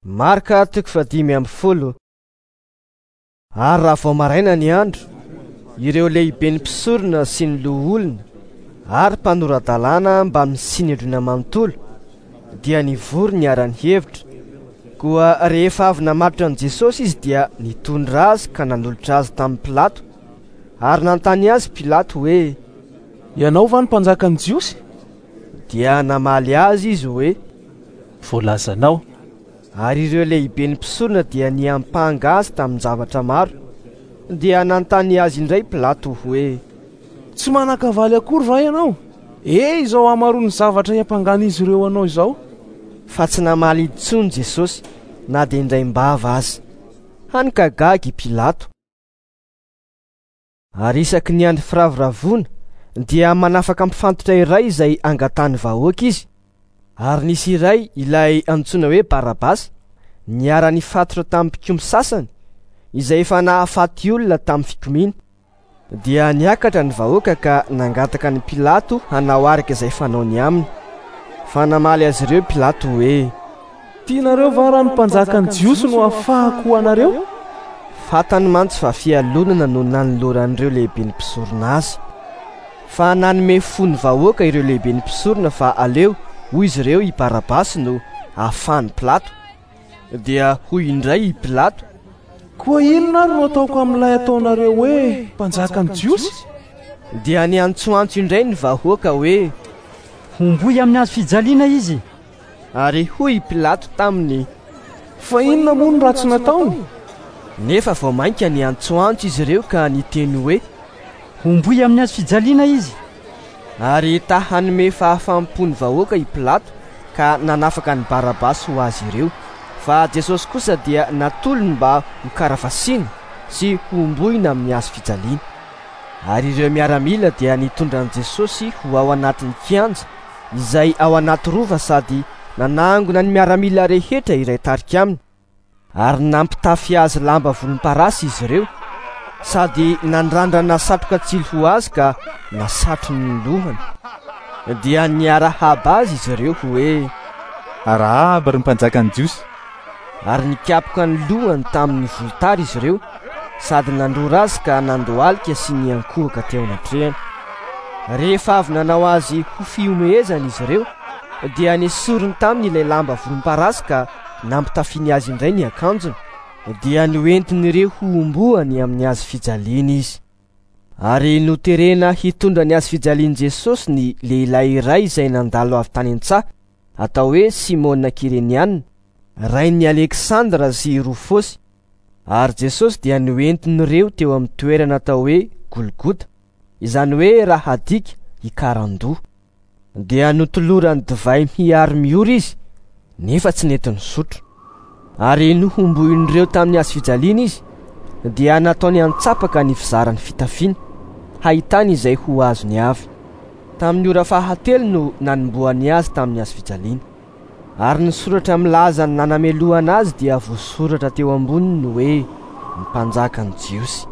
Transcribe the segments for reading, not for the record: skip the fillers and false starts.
Marka toko faha-15. Ary raha vao maraina ny andro, ireo lehiben'ny mpisorona sy ny loholona ary mpanora-dalàna mbamin'ny sinedriona manontolo dia nivory niara-nihevitra. Koa rehefa avy namatotra an'i Jesosy izy dia nitondra azy ka nanolotra azy tamin'i Pilato. Ary nanontany azy Pilato hoe: Ianao va no mpanjakan'ny Jiosy? Dia namaly azy izy hoe: Voalazanao. Ary ireo lehiben'ny mpisorona dia niampanga azy tamin-javatra maro. Dia nanontany azy indray Pilato hoe: Tsy manan-kavaly akory va ianao? E, izao hamaroan'ny zavatra iampangan'izy ireo anao izao. Fa tsy namaly intsony Jesosy na dia indraim-bava aza. Hany ka gaga i Pilato. Ary isaky ny andro firavoravoana dia manafaka mpifantotra iray izay angatahan'ny vahoaka izy. Ary nisy iray ilay antsoina hoe Barabasy niara-nifatotra tamin'ny mpikomy sasany izay efa nahafaty olona tamin'ny fikomiana. Dia niakatra ny vahoaka ka nangataka an'i Pilato hanao araka izay fanaony aminy. Fa namaly azy ireo Pilato hoe: Tianareo va raha ny mpanjakan'ny Jiosy no hafahako ho anareo? Fantany mantsy fa fialonana no nanoloran'ireo lehiben'ny mpisorona azy. Fa nanome fo ny vahoaka ireo lehiben'ny mpisorona fa aleo, hoy izy ireo, i Barabasy no hahafahan'i Pilato. Dia hoy indray i Pilato: Koa inona ary no ataoko amin'ilay ataonareo hoe mpanjakan'ny Jiosy? Dia niantsoantso indray ny vahoaka hoe: Homboy amin'ny hazo fijaliana izy. Ary hoy i Pilato taminy: Fa inona moa no ratsy nataony? Nefa vao mainka niantsoantso izy ireo ka niteny hoe: Homboy amin'ny hazo fijaliana izy. Ary ta hanome fahafaham-po ny vahoaka i Pilato ka nanafaka an'i Barabasy ho azy ireo. Fa Jesosy kosa dia natolony mba hokaravasiana sy hohomboina amin'ny hazo fijaliana. Ary ireo miaramila dia nitondra an'i Jesosy ho ao anatin'ny kianja izay ao anaty rova sady nanangona ny miaramila rehetra iray tarika aminy. Ary nampitafy azy lamba volomparasy izy ireo sady nandrandrana satroka tsilo ho azy ka nasatrony ny lohany. Dia niarahaba azy izy ireo hoe: Arahaba ry mpanjakan'ny Jiosy. Ary nikapoka ny lohany tamin'ny volotara izy ireo sady nandrora azy ka nandohalika sy niankohoka teo anatrehany. Rehefa avy nanao azy ho fihomehezana izy ireo dia nesoriny taminy ilay lamba volomparasy ka nampitafiany azy indray ny akanjony. Dia noentin'ireo hohomboany amin'ny hazo fijaliana izy. Ary noterena hitondra ny hazo fijalian'i Jesosy ny lehilahy iray izay nandalo avy tany an-tsaha, atao hoe Simona Kyreniana, rain'i Aleksandra sy Rofosy. Ary Jesosy dia noentin'ireo teo amin'ny toerana atao hoe Golgota, izany hoe raha adika, Ikarandoha. Dia notolorany divay mihary miora izy, nefa tsy nety nisotro. Ary nohomboin'ireo tamin'ny hazo fijaliana izy, dia nataony antsapaka ny fizaran'ny fitafiany, hahitany izay ho azony avy. Tamin'ny ora fahatelo no nanombohany azy tamin'ny hazo fijaliana. Ary ny soratra milaza ny nanamelohana azy dia voasoratra teo amboniny hoe: Ny mpanjakan'ny Jiosy.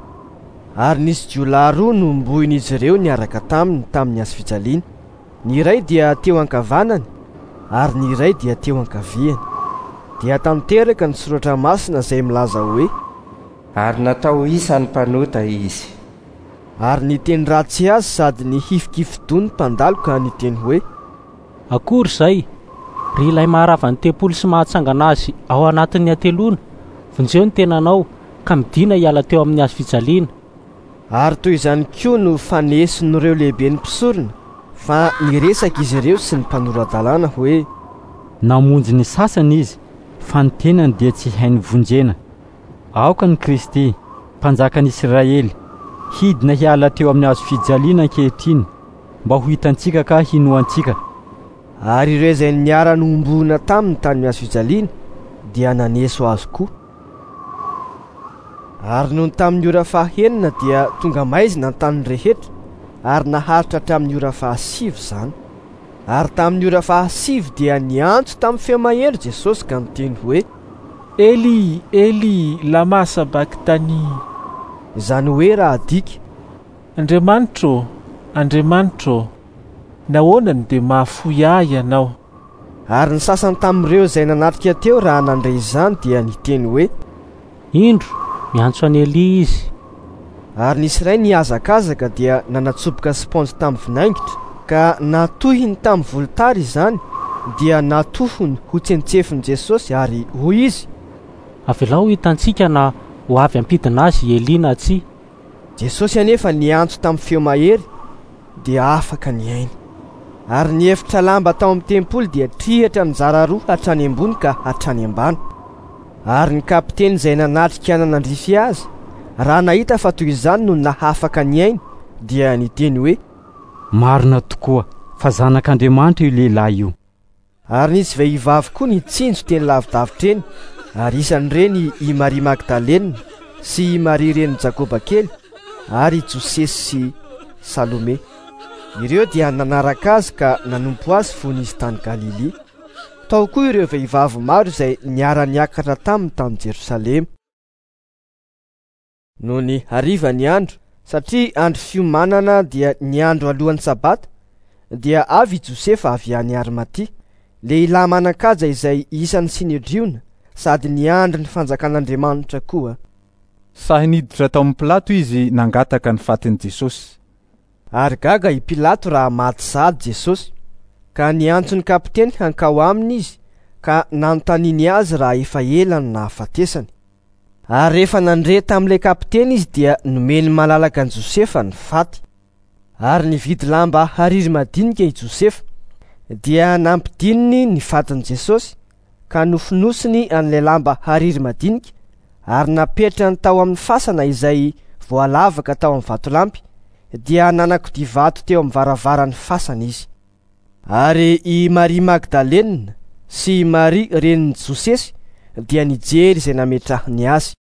Ary nisy jiolahy roa nohomboin'izy ireo niaraka taminy tamin'ny hazo fijaliana. Ny iray dia teo ankavanany ary ny iray dia teo ankaviany. Dia tanteraka ny soratra masina izay milaza hoe: Ary natao ho isan'ny mpanota izy. Ary niteny ratsy azy sady nihifikifi-doha ny mpandalo ka niteny hoe: Akory izay, ry ilay maharava ny tempoly sy mahatsangana azy ao anatin'ny hateloana, vonjeo ny tenanao, ka midìna hiala teo amin'ny hazo fijaliana. Ary toy izany koa no faneson'ireo lehiben'ny mpisorona, fa niresaka izy ireo sy ny mpanora-dalàna hoe: Namonjy ny sasany izy, fa ny tenany dia tsy hainy vonjena. Aoka ny Kristy, Mpanjakan'i Israely, hidina hiala teo amin'ny hazo fijaliana ankehitriny, mba ho hitantsika ka hinoantsika. Ary ireo izay niara-nohomboana taminy tamin'ny hazo fijaliana dia naneso azy koa. Ary nony tamin'ny ora fahenina dia tonga maizina ny tany rehetra, ary naharitra hatramin'ny ora fahasivy izany. Ary tamin'ny ora fahasivy dia niantso tamin'ny feo mahery Jesosy ka niteny hoe: Eli, Eli, lama sabaktani. Izany hoe raha adika: Andriamanitro ô, Andriamanitro ô, nahoana no dia mahafoy ahy Ianao? Ary ny sasany tamin'ireo izay nanatrika teo raha nandre izany dia niteny hoe: Indro, miantso an'i Elia izy. Ary nisy iray nihazakazaka dia nanatsoboka sipaonjy tamin'ny vinaingitra ka natohiny tamin'ny volotara izany, dia natohony ho tsentsefin'i Jesosy ary hoy izy: Avelao ho hitantsika na ho avy hampidina azy i Elia na tsia. Jesosy anefa niantso tamin'ny feo mahery dia afaka ny ainy. Ary ny efitra lamba tao amin'ny tempoly dia triatra nizara roa hatrany ambony ka hatrany ambany. Ary ny kapiteny izay nanatrika nanandrify azy, raha nahita fa toy izany no nahafaka ny ainy, dia niteny hoe: Marina tokoa fa Zanak'Andriamanitra io lehilahy io. Ary nisy vehivavy koa nitsinjo teny lavidavitra eny, ary isan'ireny i Maria Magdalena sy i Maria renin'i Jakoba kely ary i Josesy sy Salome. Ireo dia nanaraka azy ka nanompo azy fony izy tany Galilia. Tao koa ireo vehivavy maro izay niara-niakatra taminy tany Jerosalema. Nony hariva ny andro, satria andro fiomanana dia ny andro alohan'ny Sabata, dia avy i Josefa avy any Arimatia, lehilahy manan-kaja izay isan'ny Synedriona sady niandry ny fanjakan'Andriamanitra koa. Sahy niditra tao amin'i Pilato izy nangataka ny fatin'i Jesosy. Ary gaga i Pilato raha maty sahady Jesosy, ka niantso ny kapiteny hankao aminy izy ka nanontaniany azy raha efa ela no nahafatesany. Ary rehefa nandre tamin'ilay kapiteny izy dia nomeny malalaka an'i Josefa ny faty. Ary nividy lamba hariry madinika i Josefa, dia nampidininy ny fatin'i Jesosy ka nofonosiny an'ilay lamba hariry madinika ary napetrany tao amin'ny fasana izay voalavaka tao amin'ny vatolampy, dia nanakodia vato teo amin'ny varavaran'ny fasana izy. Ary i Maria Magdalena sy i Maria renin'i Josesy dia nijery izay nametrahany azy.